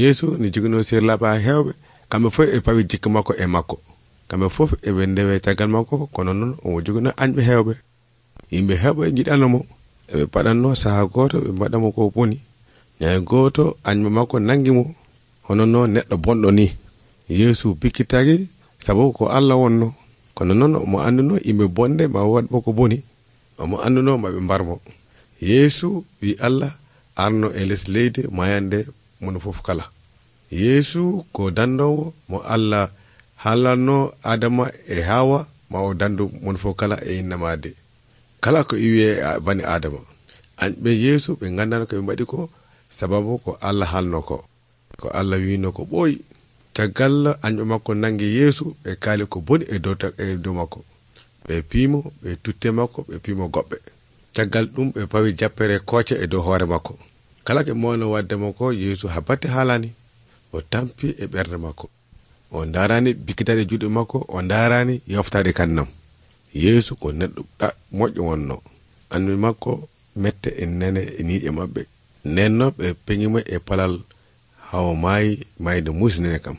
Yeesu ni jogino sirlaɓe hewɓe, kamɓe fof e pawi jikka makko e makko. Kamɓe fof eɓe ndewe caggal makko, kono noon omo jogino añɓe hewɓe. Yimɓe hewɓe jiɗanomo, eɓe paɗanno saha goto ɓe mbaɗamo ko boni. Ñaye goto añɓe makko nangimo hono no neɗɗo bonɗo ni. Yeesu bikkitaki sabu ko Allah wonno, kono noon omo anduno yimɓe bonde ma waɗmo ko boni, omo anduno maɓe mbarmo. Yeesu wi Allah arno e les leydi mayande mono fof kala. Yeesu ko dandowo mo Allah haalanno Adama e Hawa ma o dandu mono fof kala e innamade kala ko iwi bani Adama. Añɓe Yeesu ɓe gandano ko ɓe mbaɗi ko sababu ko Allah haalno ko Allah wino ko ɓooyi. Caggal añɓe makko nangi Yeesu ɓe kaali ko boni e dow makko, ɓe piimo, ɓe tutte makko, ɓe piimo goɓɓe. Caggal ɗum ɓe pawi jappere kooce e dow hoore makko. Kala ke mowno waddemo ko Yeesu habbate haalani, o tampi e ɓernde makko, o darani bikkitade juuɗe makko, o darani yoftade kannam. Yeesu ko neɗɗo moƴƴo wonno, anduɓe makko mette e nene e niiƴe maɓɓe, nenno ɓe peñimo e palal hawo maayi mayde musinene kam.